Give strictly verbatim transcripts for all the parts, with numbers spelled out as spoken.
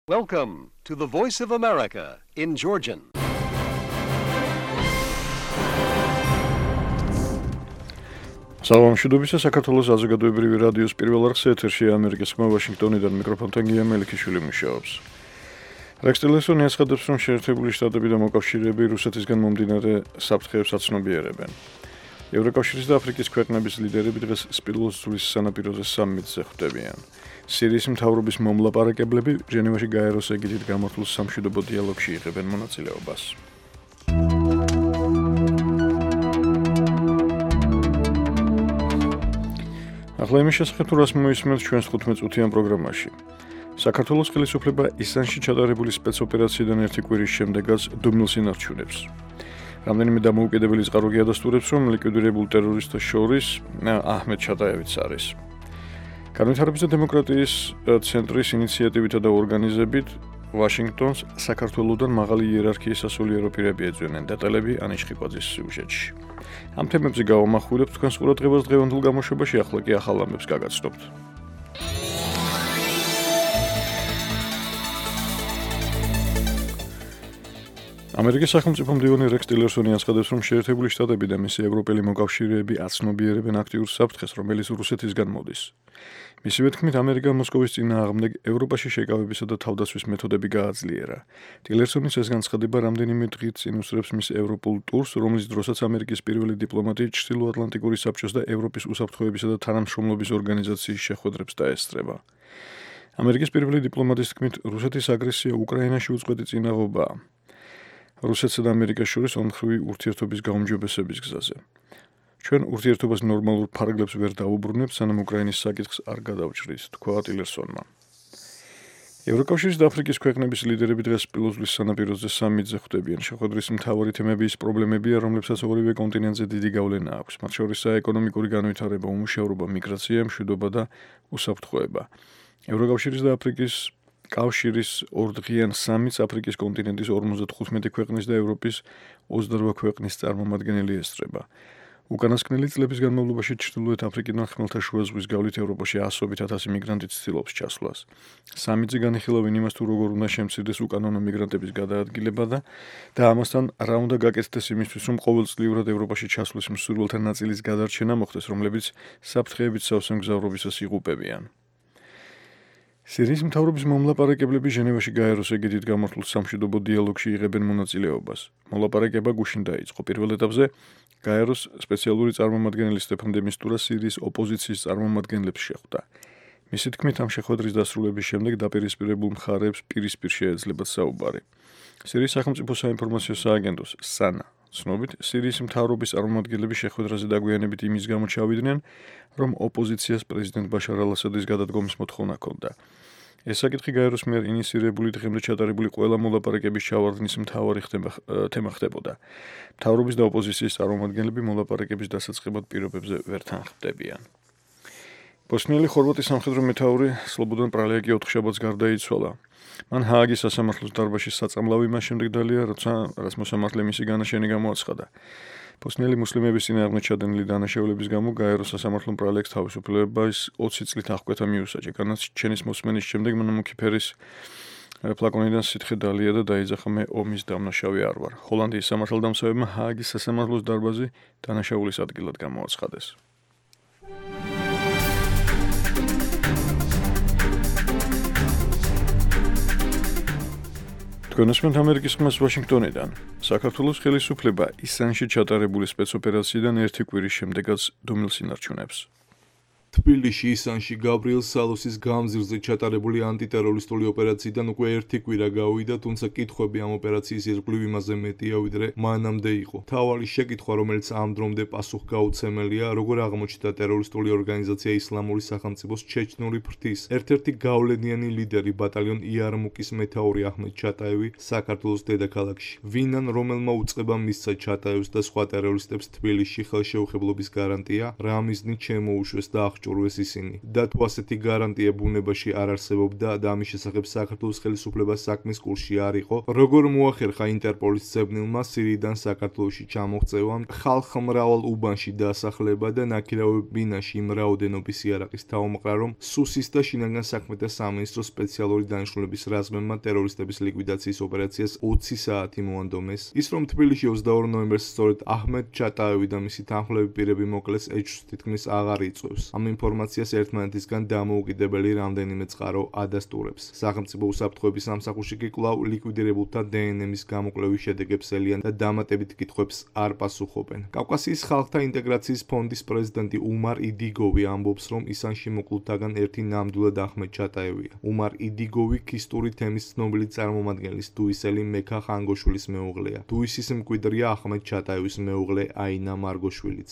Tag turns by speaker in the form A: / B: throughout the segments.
A: Welcome to the Voice of America in Georgian.
B: Სალამშვიდობისა საქართველოს საზოგადოებრივი რადიოს პირველ არხს ეთერში ამერიკის ხმა ვაშინგტონიდან მიკროფონთან გია მელიქიშვილი მუშაობს. რექს ტილერსონი აცხადებს, რომ შეერთებული შტატები და მოკავშირეები რუსეთისგან მომდინარე საფრთხეებს აცნობიერებენ. ევროკავშირის და აფრიკის ქვეყნების ლიდერები დღეს სპილოს ზღვის სანაპიროზე სამიტზე ხვდებიან. სირიის მთავრობის მომლაპარაკებლები ჟენევაში გაეროს ეგიდით გამართულ სამშვიდობო დიალოგში იღებენ მონაწილეობას. ახლა იმის შესახებ თუ რას მოისმენთ ჩვენს თხუთმეტ-წუთიან პროგრამაში. საქართველოს ხელისუფლება ისანში ჩატარებული სპეცოპერაციიდან ერთი კვირის შემდეგაც დუმილს ინარჩუნებს. რამდენიმე დამოუკიდებელი წყაროგი ადასტურებს, რომ ლიკვიდირებულ ტერორისტთა შორის აჰმედ ჩატაევიც არის. განვითარების და დემოკრატიის ცენტრის ინიციატივითა და ორგანიზებით ვაშინგტონს საქართველოსთან მაღალი იერარქიის სასულიერო პირები ეძვენენ. დეტალები ანიშ ხიკვაძის სიუჟეტში. ამ თემებზე გავამახვილებთ თქვენს ყურადღებას დღევანდელ გამოშვებაში, ახლა კი ახალ ამბებს გაგაცნობთ. ამერიკის სახელმწიფო მდივანი რექს ტილერსონი აცხადებს, რომ შეერთებული შტატები და მისი ევროპელი მოკავშირეები აცნობიერებენ აქტიურ საფრთხეს, რომელიც რუსეთისგან მოდის. მისივე თქმით, ამერიკამ მოსკოვის წინააღმდეგ ევროპაში შეკავებისა და თავდაცვის მეთოდები გააძლიერა. ტილერსონის ეს განცხადება რამდენიმე დღით წინ უსწრებს მის ევროპულ ტურს, რომლის დროსაც ამერიკის პირველი დიპლომატი ჩრდილოატლანტიკური საბჭოს და ევროპის უსაფრთხოებისა და თანამშრომლობის ორგანიზაციის შეხვედრებს დაესწრება. ამერიკის პირველი დიპლომატის თქმით, რუსეთის აგრესია უკრაინაში უწყვეტი წინაღობაა. რუსეთსა და ამერიკას შორის ორმხრივი ურთიერთობის გაუმჯობესების გზაზე. ჩვენ ურთიერთობას ნორმალურ ფარგლებს ვერ დაუბრუნებთ, სანამ უკრაინის საკითხს არ გადავჭრით, თქვა ტილერსონმა. ევროკავშირის და აფრიკის ქვეყნების ლიდერები დღეს სპილოს სანაპიროზე სამიტზე ხვდებიან. შეხვედრის მთავარი თემები ის პრობლემებია, რომლებსაც ორივე კონტინენტზე დიდი გავლენა აქვს. მათ შორისაა ეკონომიკური განვითარება, უმუშევრობა, მიგრაცია, მშვიდობა და უსაფრთხოება. ევროკავშირის და აფრიკის კავშირის ორდღიან სამიტს აფრიკის კონტინენტის ორმოცდათხუთმეტი ქვეყნის და ევროპის ოცდარვა ქვეყნის წარმომადგენელი ესწრება. უკანასკნელი წლების განმავლობაში ჩრდილოეთ აფრიკიდან ხმელთაშუა ზღვის გავლით ევროპაში ასობით ათასი მიგრანტი ცდილობს ჩასვლას. სამიტზე განიხილავენ იმას, თუ როგორ უნდა შემცირდეს უკანონო მიგრანტების გადაადგილება და და ამასთან რა უნდა გაკეთდეს იმისთვის, რომ ყოველწლიურად ევროპაში ჩასვლის მსურველთა ნაწილის გადარჩენა მოხდეს, რომლებიც საფრთხეებით სავსე მგზავრობისას იღუპებიან. სირიის მთავრობის მომლაპარაკებლები ჟენევაში გაეროს ეგიდით გამართულ სამშვიდობო დიალოგში იღებენ მონაწილეობას. მოლაპარაკება გუშინ დაიწყო. პირველ ეტაპზე გაეროს სპეციალური წარმომადგენელი სტეფან დე მისტურა სირიის ოპოზიციის წარმომადგენლებს შეხვდა. მისი თქმით, ამ შეხვედრის დასრულების შემდეგ დაპირისპირებულ მხარეებს პირისპირ შეეძლებათ საუბარი. სირიის სახელმწიფო საინფორმაციო სააგენტოს სანა ცნობით, სირიის მთავრობის წარმომადგენლები შეხვედრაზე დაგვიანებით იმის გამო ჩავიდნენ, რომ ოპოზიციას პრეზიდენტ ბაშარ ალ-ასადის გადადგომის მოთხოვნა ჰქონდა. ეს საკითხი გაეროს მიერ ინიცირებული დღემდე ჩატარებული ყველა მოლაპარაკების ჩავარდნის მთავარი თემა ხდებოდა. მთავრობის და ოპოზიციის წარმომადგენლები მოლაპარაკების დასაწყებად პირობებზე ვერ თანხმდებიან. ბოსნიელი ხორვატის სამხედრო მეთაური სლობოდან პრალეაკი ოთხშაბათს გარდაიცვალა. მან ჰააგის სასამართლოს დარბაზში საწამლავი მას შემდეგ დალია, როცა რაც მოსამართლემ მისი განაშენი გამოაცხადა. ბოსნიელი მუსლიმების წინააღმდეგ ჩადენილი დანაშაულების გამო გაეროს სასამართლომ პრალეაკს თავისუფლებას ოცი წლით აღკვეთა მიუსაჯა. განაჩენის მოსმენის შემდეგ მან მუქი ფერის ფლაკონიდან სითხე დალია და დაიძახა, მე ომის დამნაშავე არ ვარ. ჰოლანდიის სამართალდამცავებმა ჰააგის სასამართლოს დარბაზი დანაშაულის ადგილად გამოაცხადეს. თქვენასმენთ ამერიკის ხმას ვაშინგტონიდან. საქართველოს ხელისუფლება ისანში ჩატარებული სპეცოპერაციიდან ერთი კვირის შემდეგაც დუმილს ინარჩუნებს.
C: თბილისში ისანში გაბრიელ სალოსის გამზირზე ჩატარებული ანტიტერორისტული ოპერაციიდან უკვე ერთი კვირა გავიდა, თუმცა კითხვები ამ ოპერაციის ირგვლივ იმაზე მეტია, ვიდრე მანამდე იყო. მთავარი შეკითხვა, რომელიც ამ დრომდე პასუხგაუცემელია, როგორ აღმოჩნდა ტერორისტული ორგანიზაცია ისლამური სახელმწიფოს ჩეჩნური ფრთის ერთ-ერთი გავლენიანი ლიდერი ბატალიონ იარმუკის მეთაური აჰმედ ჩატაევი საქართველოს დედაქალაქში. ვინან რომელმა უწყებამ მისცა ჩატაევს და სხვა ტერორისტებს თბილისში ხელშეუხებლობის გარანტია, რა მიზნით შემოუშვეს და დაასჭურვეს ისინი და თუ ასეთი გარანტია ბუნებაში არ არსებობდა და ამის შესახებ საქართველოს ხელისუფლებას საქმის კურსში არ იყო, როგორ მოახერხა ინტერპოლის ცებნილმა სირიიდან საქართველოში ჩამოღწევამ, ხალხ მრავალ უბანში დასახლება და ნაქირავებინაში იმ რაოდენობის იარაღის თავმოყრა, რომ სუსის და შინაგან საქმეთა სამინისტროს სპეციალური დანიშნულების რაზმებმა ტერორისტების ლიკვიდაციის ოპერაციას ოცი საათი მოანდომეს. ის რომ თბილისში ოცდაორი ნოემბერს სწორედ აჰმედ ჩატაევი და მისი თანხმლები პირები მოკლეს, ეჭვს თითქმის აღარ იწვევს. ამ ინფორმაციას ერთმანეთისგან დამოუკიდებელი რამდენიმე წყარო ადასტურებს. სახელმწიფო უსაფრთხოების სამსახურში კი კვლავ ლიკვიდირებულთა დე ენ ემის გამოკვლევის შედეგებს ელიან და დამატებით კითხვებს არ პასუხობენ. კავკასიის ხალხთა ინტეგრაციის ფონდის პრეზიდენტი უმარ იდიგოვი ამბობს, რომ ისანში მოკლულთაგან ერთი ნამდვილად აჰმედ ჩატაევია. უმარ იდიგოვი ქისტური თემის ცნობილი წარმომადგენლის დუისელი მექა ხანგოშვილის მეუღლეა. დუისის მკვიდრია აჰმედ ჩატაევის მეუღლე აინა მარგოშვილიც.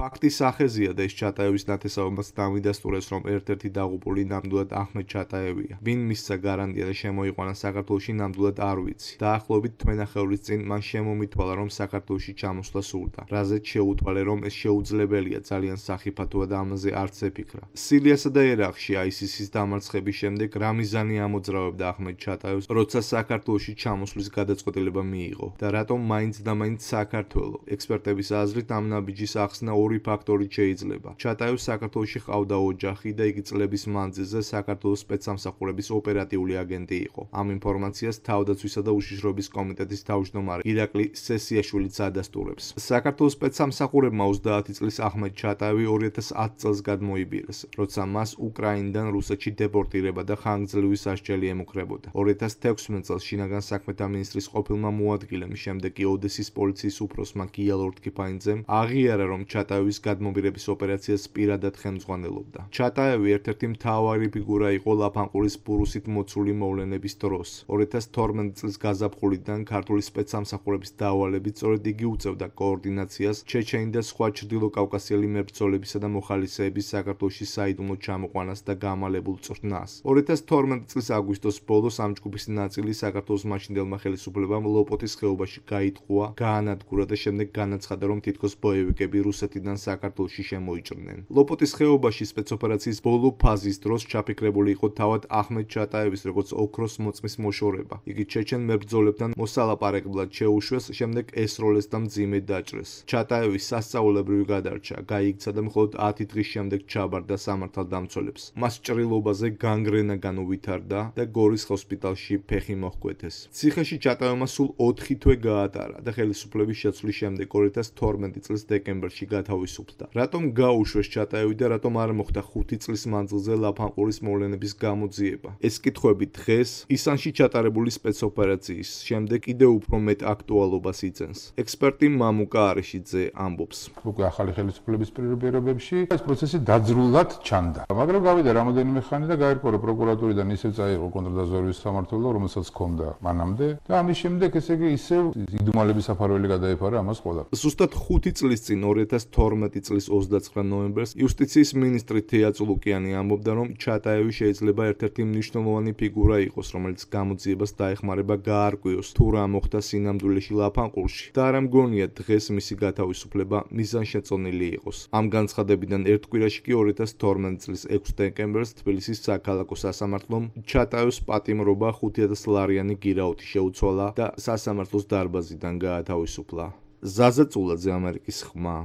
C: ფაქტის სახეზია და ეს ჩატაევის ნათესაობას დამიდასტურებს, რომ ერთ-ერთი დაღუპული ნამდვილად აჰმედ ჩატაევია. ვინ მისცა გარანტია და შემოიყვანა საქართველოში, ნამდვილად არ ვიცი. დაახლოებით თვენახევრის წინ მან შემომითვალა, რომ საქართველოში ჩამოსვლა სურდა. რაზეც შეუთვალე, რომ ეს შეუძლებელია ძალიან სახიფათოა და ამაზე არც ეფიქრა. სირიასა და ერაყში აი ეს ის-ის დამარცხების შემდეგ რა მიზანი ამოძრავებდა აჰმედ ჩატაევს, როცა საქართველოში ჩამოსვლის გადაწყვეტილება მიიღო და რატომ მაინც და მაინც საქართველო? ექსპერტების აზრით, ამ ნაბიჯის ახსნა ორი ფაქტორით შეიძლება. ჩატაევს საქართველოში ჰყავდა ოჯახი და იგი წლების მანძილზე საქართველოს სპეცსამსახურების ოპერატიული აგენტი იყო. ამ ინფორმაციას თავდაცვისა და უშიშროების კომიტეტის თავმჯდომარე ირაკლი სესიაშვილიც ადასტურებს. საქართველოს სპეცსამსახურებმა ოცდაათი წლის აჰმედ ჩატაევი ორი ათას ათი წელს გადმოიბირეს, როცა მას უკრაინიდან რუსეთში დეპორტირება და ხანგრძლივი სასჯელი ემუქრებოდა. ორი ათას თექვსმეტ წელს შინაგან საქმეთა მინისტრის ყოფილმა მოადგილემ, შემდეგ კი ოდესის პოლიციის უფროსმა გია ლორთქიფანიძემ აღიარა, რომ ჩატაევის გადმობირების ოპერაციას პირადად ხელმძღვანელობდა. ჩატაევი ერთ-ერთი მთავარი ფიგურა იყო ლაფანყურის ბურუსით მოცული მოვლენების დროს. ორი ათას თორმეტ წლის გაზაფხულიდან ქართული სპეცსამსახურების დავალებით სწორედ იგი უწევდა კოორდინაციას ჩეჩენი და სხვა ჩრდილოკავკასიელი მებრძოლებისა და მოხალისეების საქართველოში საიდუმლო ჩამოყვანას და გამალებულ წვრთნას. ორი ათას თორმეტ წლის აგვისტოს ბოლოს ამ ჯგუფის ნაწილი საქართველოს მაშინდელმა ხელისუფლებამ ლოპოტის ხეობაში გაიტყუა, გაანადგურა და შემდეგ განაცხადა, რომ თითქოს ბოევიკები რუსეთიდან საქართველოში შემოიჭრნენ. ლოპოტის ხეობაში სპეცოპერაციის ბოლო ფაზის დროს ჩაფიქრებული იყო თავად აჰმედ ჩატაევის როგორც ოქროს მოწმის მოშორება. იგი ჩეჩენ მებრძოლებთან მოსალაპარებლად შეუშვეს, შემდეგ ესროლეს და მძიმედ დაჭრეს. ჩატაევი სასწაულებრივი გადარჩა, გაიქცა და მხოლოდ ათი დღის შემდეგ ჩაბარდა სამართალდამცველებს. მას ჭრილობაზე განგრენა განუვითარდა და გორის ჰოსპიტალში ფეხი მოჰკვეთეს. ციხეში ჩატაევმა სულ ოთხი თვე გაატარა და ხელისუფლების შეცვლის შემდეგ ორი ათას თორმეტ წლის დეკემბერში გათავისუფლდა. რატომ გაუშვეს ჩატაევი და რატომ არ მოხდა ხუთი წლის მანძილზე ლაფანყურის მოვლენების გამოძიება? ეს კითხვები დღეს ისანში ჩატარებული სპეცოპერაციის შემდეგ კიდევ უფრო მეტ აქტუალობას იწენს. ექსპერტი მამუკა არიშიძე ამბობს.
D: უკვე ახალი ხელისუფლების პირობებში ეს პროცესი დაძრულად ჩანდა. მაგრამ გავიდა რამოდენიმე ხანი და გაირკვევა პროკურატურიდან ისევ წაიღო კონტრდაზვერვის სამმართველო, რომელსაც ჰქონდა მანამდე და ამის შემდეგ ესე იგი ისევ იდუმალების საფარველი გადაიფარა ამას ყველაფერს.
C: ზუსტად ხუთი წლის წინ ორი ათას თორმეტ წლის ოცდაცხრა ნოემბერს იუსტიციის მინისტრი თეა წულუკიანი ამბობდა, რომ ჩატაევი შეიძლება ერთ-ერთი მნიშვნელოვანი ფიგურა იყოს, რომელიც გამოძიებას დაეხმარება გაარკვიოს თუ რა მოხდა სინამდვილეში ლაფანყურში და არ ამგონია დღეს მისი გათავისუფლება მიზანშეწონილი იყოს. ამ განცხადებიდან ერთ კვირაში კი ორი ათას თორმეტ წლის ექვსი დეკემბერს თბილისის საქალაქო სასამართლომ ჩატაევს პატიმრობა ხუთი ათას ლარიანი გირაუთი შეუცვალა და სასამართლოს დარბაზიდან გაათავისუფლა. ზაზა წულაძე, ამერიკის ხმა.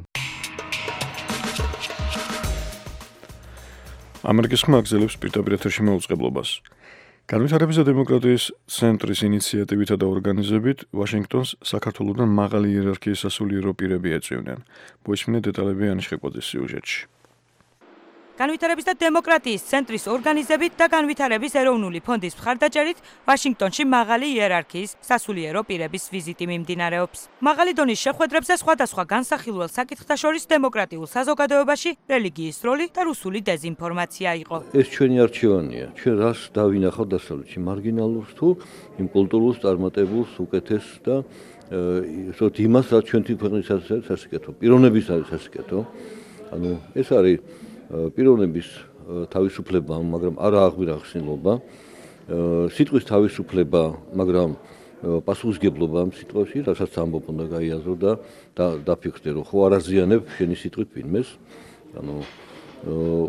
B: ამერიკის ხმა აგზელებს პირდაპირ ეთერში მოუწყებლობას. განვითარების და დემოკრატიის ცენტრის ინიციატივითა და ორგანიზებით ვაშინგტონს საქართველოსთან მაღალი იერარქიის სასულიერო პირები ეწვივნენ. მოისმინეთ დეტალები ანიშ ხეკვაძის სიუჟეტში.
E: განვითარების და დემოკრატიის ცენტრის ორგანიზებით და განვითარების ეროვნული ფონდის მხარდაჭერით ვაშინგტონში მაღალი იერარქიის სასულიერო პირების ვიზიტი მიმდინარეობს. მაღალი დონის შეხვედრებზე სხვადასხვა განსახილველ საკითხთა შორის დემოკრატიულ საზოგადოებაში რელიგიის როლი და რუსული დეზინფორმაცია იყო.
F: ეს ჩვენი არჩევანია. ჩვენ რას დავინახავთ დასავლეთში, მარგინალურს თუ იმ კულტურულს წარმატებულს უკეთეს და ისოთ იმას, რაც ჩვენი ქვეყნის სასიკეთო, პიროვნების არის სასიკეთო. ანუ ეს არის პიროვნების თავისუფლება, მაგრამ არა აღვირახსნილობა, სიტყვის თავისუფლება, მაგრამ პასუხისგებლობა ამ სიტყვაში, რასაც ამბობ უნდა გაიაზრო და დაფიქრდე, რომ ხო არ აზიანებ შენი სიტყვით ვინმეს. ანუ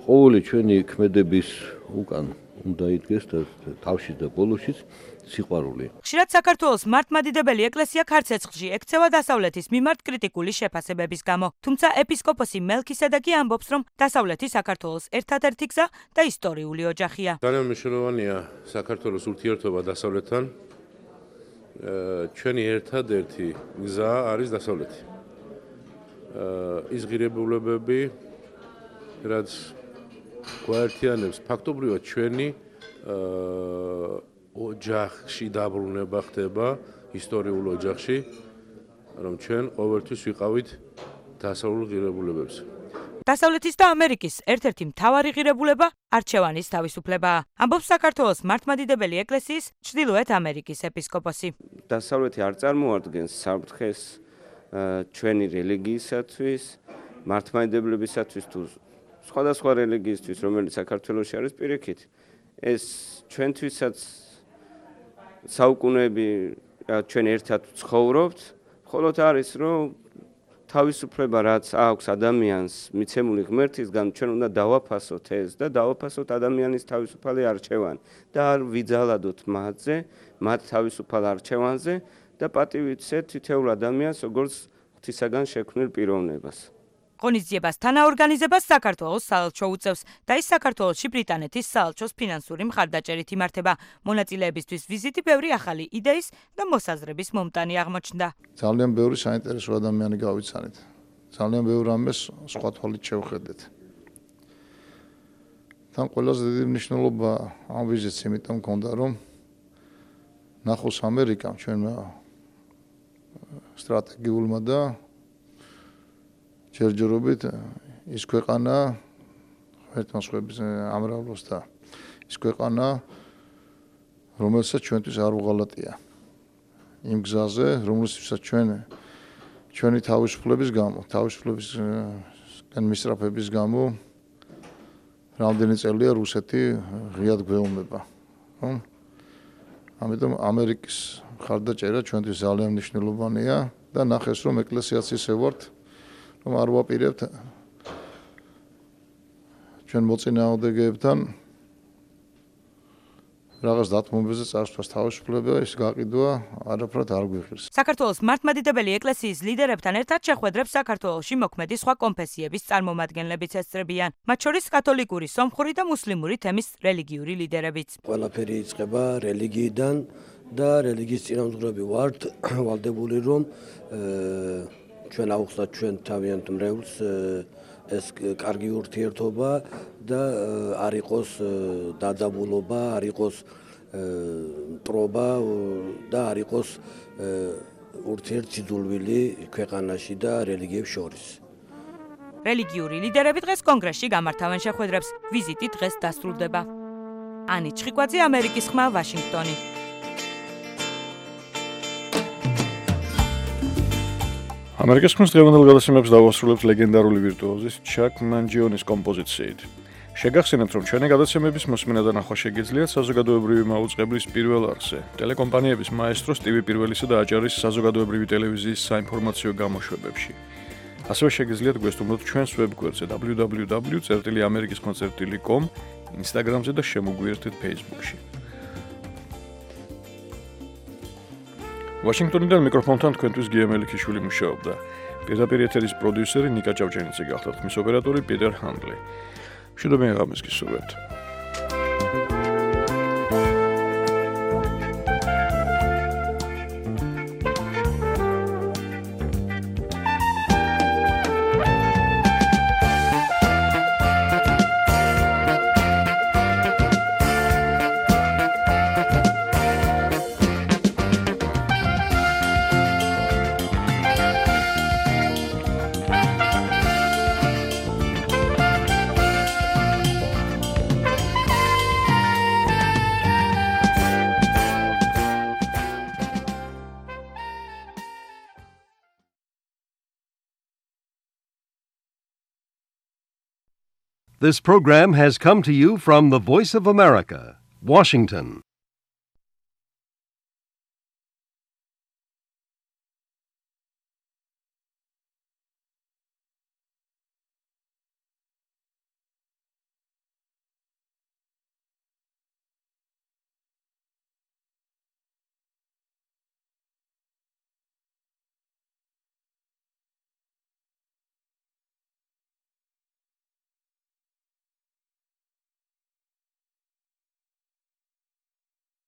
F: ყოველი ჩვენი ქმედების უკან უნდა იდგეს და თავში და ბოლოშიც სიყვარული.
E: ხშირად საქართველოს მართლმადიდებელი ეკლესია ქარცეცხლში ექცევა დასავლეთის მიმართ კრიტიკული შეფასებების გამო. თუმცა ეპისკოპოსი მელქისედეკი ამბობს, რომ დასავლეთი საქართველოს ერთადერთი გზა და ისტორიული ოჯახია.
G: ძალიან მნიშვნელოვანია საქართველოს ურთიერთობა დასავლეთთან. ჩვენი ერთადერთი გზა არის დასავლეთი. ის ღირებულებები, რაც გვაერთიანებს ფაქტობრივად ჩვენი ოჯახში დაბრუნება ხდება, ისტორიულ ოჯახში, რომ ჩვენ ყოველთვის ვიყავით დასავლურ ღირებულებებს.
E: დასავლეთის და ამერიკის ერთ-ერთი მთავარი ღირებულება არჩევანის თავისუფლებაა. ამბობს საქართველოს მართლმადიდებელი ეკლესიის ჩრდილოეთ ამერიკის ეპისკოპოსი.
H: დასავლეთი არ წარმოადგენს საფრთხეს ჩვენი რელიგიისათვის, მართლმადიდებლებისათვის თუ სხვადასხვა რელიგიისთვის, რომელიც საქართველოში არის პირიქით. ეს ჩვენთვისაც საუკუნეები ჩვენ ერთად ცხოვრობთ, მხოლოდ არის რომ თავისუფლება რაც აქვს ადამიანს მიცემული ღმერთისგან, ჩვენ უნდა დავაფასოთ ეს და დავაფასოთ ადამიანის თავისუფალი არჩევანი და არ ვიძალადოთ მათზე, მათ თავისუფალ არჩევანზე და პატივიცეთ თითოეულ ადამიანს როგორც ღვთისაგან შექმნილ პიროვნებას.
E: ღონისძიებას თანაორგანიზებას საქართველოს საელჩო უწევს და ის საქართველოში ბრიტანეთის საელჩოს ფინანსური მხარდაჭერით იმართება. მონაწილეებისთვის ვიზიტი ბევრი ახალი იდეის და მოსაზრების მომტანი აღმოჩნდა.
I: ძალიან ბევრი საინტერესო ადამიანი გავიცანით. ძალიან ბევრ ამას სხვა თვალით შევხედეთ. თან ყველაზე დიდი მნიშვნელობა ამ ვიზიტს იმიტომ მქონდა, რომ ნახოს ამერიკამ ჩვენმა სტრატეგიულმა და ჯერჯერობით ის ქვეყანა ღმერთმოსხების ამრავლოს და ის ქვეყანა რომელსაც ჩვენთვის არ უღალატია იმ გზაზე რომელსაც ჩვენ ჩვენი თავისუფლების გამო თავისუფლებისგან მისწრაფების გამო რამდენი წელია რუსეთი ღიად გვეუბნება ხო ამიტომ ამერიკის მხარდაჭერა ჩვენთვის ძალიან მნიშვნელოვანია და ნახეს რომ ეკლესიაც ისე ვართ რომ არ ვაპირებთ ჩვენ მოწინააღმდეგეებთან რაღაც დათმობებზე წარსვლას თავისუფლება ის გაყიდვა არაფრად არ გვიხირს.
E: საქართველოს მართლმადიდებელი ეკლესიის ლიდერებთან ერთად შეხვედრებს საქართველოში მოქმედი სხვა კონფესიების წარმომადგენლებიც ესწრებიან, მათ შორის კათოლიკური, სომხური და მუსლიმური თემის რელიგიური ლიდერებიც.
J: ყველაფერი იწყება რელიგიიდან და რელიგიის წინამძღვრები ვართ ვალდებული რომ ჩვენ აუხსნათ ჩვენ თავიანთ მრევლს ეს კარგი ურთიერთობა და არ იყოს დაძაბულობა, არ იყოს მტრობა და არ იყოს ურთიერთსიძულვილი ქვეყანაში და რელიგიებს შორის.
E: რელიგიური ლიდერები დღეს კონგრესში გამართავენ შეხვედრებს. ვიზიტი დღეს დასრულდება. ანი ჩხიკვაძე, ამერიკის ხმა, ვაშინგტონი.
B: ამერიკის ხმის დღევანდელ გადაცემებს დავასრულებთ ლეგენდარული ვირტუოზის ჩაკ მანჯიონის კომპოზიციით. შეგახსენებთ, რომ ჩვენი გადაცემების მოსმენა და ნახვა შეგიძლიათ საზოგადოებრივი მაუწყებლის პირველ არხზე, ტელეკომპანიების მაესტროს ტივი პირველისა და აჭარის საზოგადოებრივი ტელევიზიის საინფორმაციო გამოშვებებში. ასევე შეგიძლიათ გვესტუმროთ ჩვენს ვებგვერდზე დაბლიუ დაბლიუ დაბლიუ წერტილი ამერიკის კონცერტი τελεία კომ, ინსტაგრამზე და შემოგვიერთეთ ფეისბუქში. ვაშინგტონიდან მიკროფონთან თქვენთვის გია მელიქიშვილი მუშაობდა. პირდაპირ ეთერის პროდიუსერი ნიკა ჭავჭენიძე გახდა, ხმის ოპერატორი პიტერ ჰანდლი. მშვიდობიან ღამეს გისურვებთ.
A: This program has come to you from the Voice of America, Washington.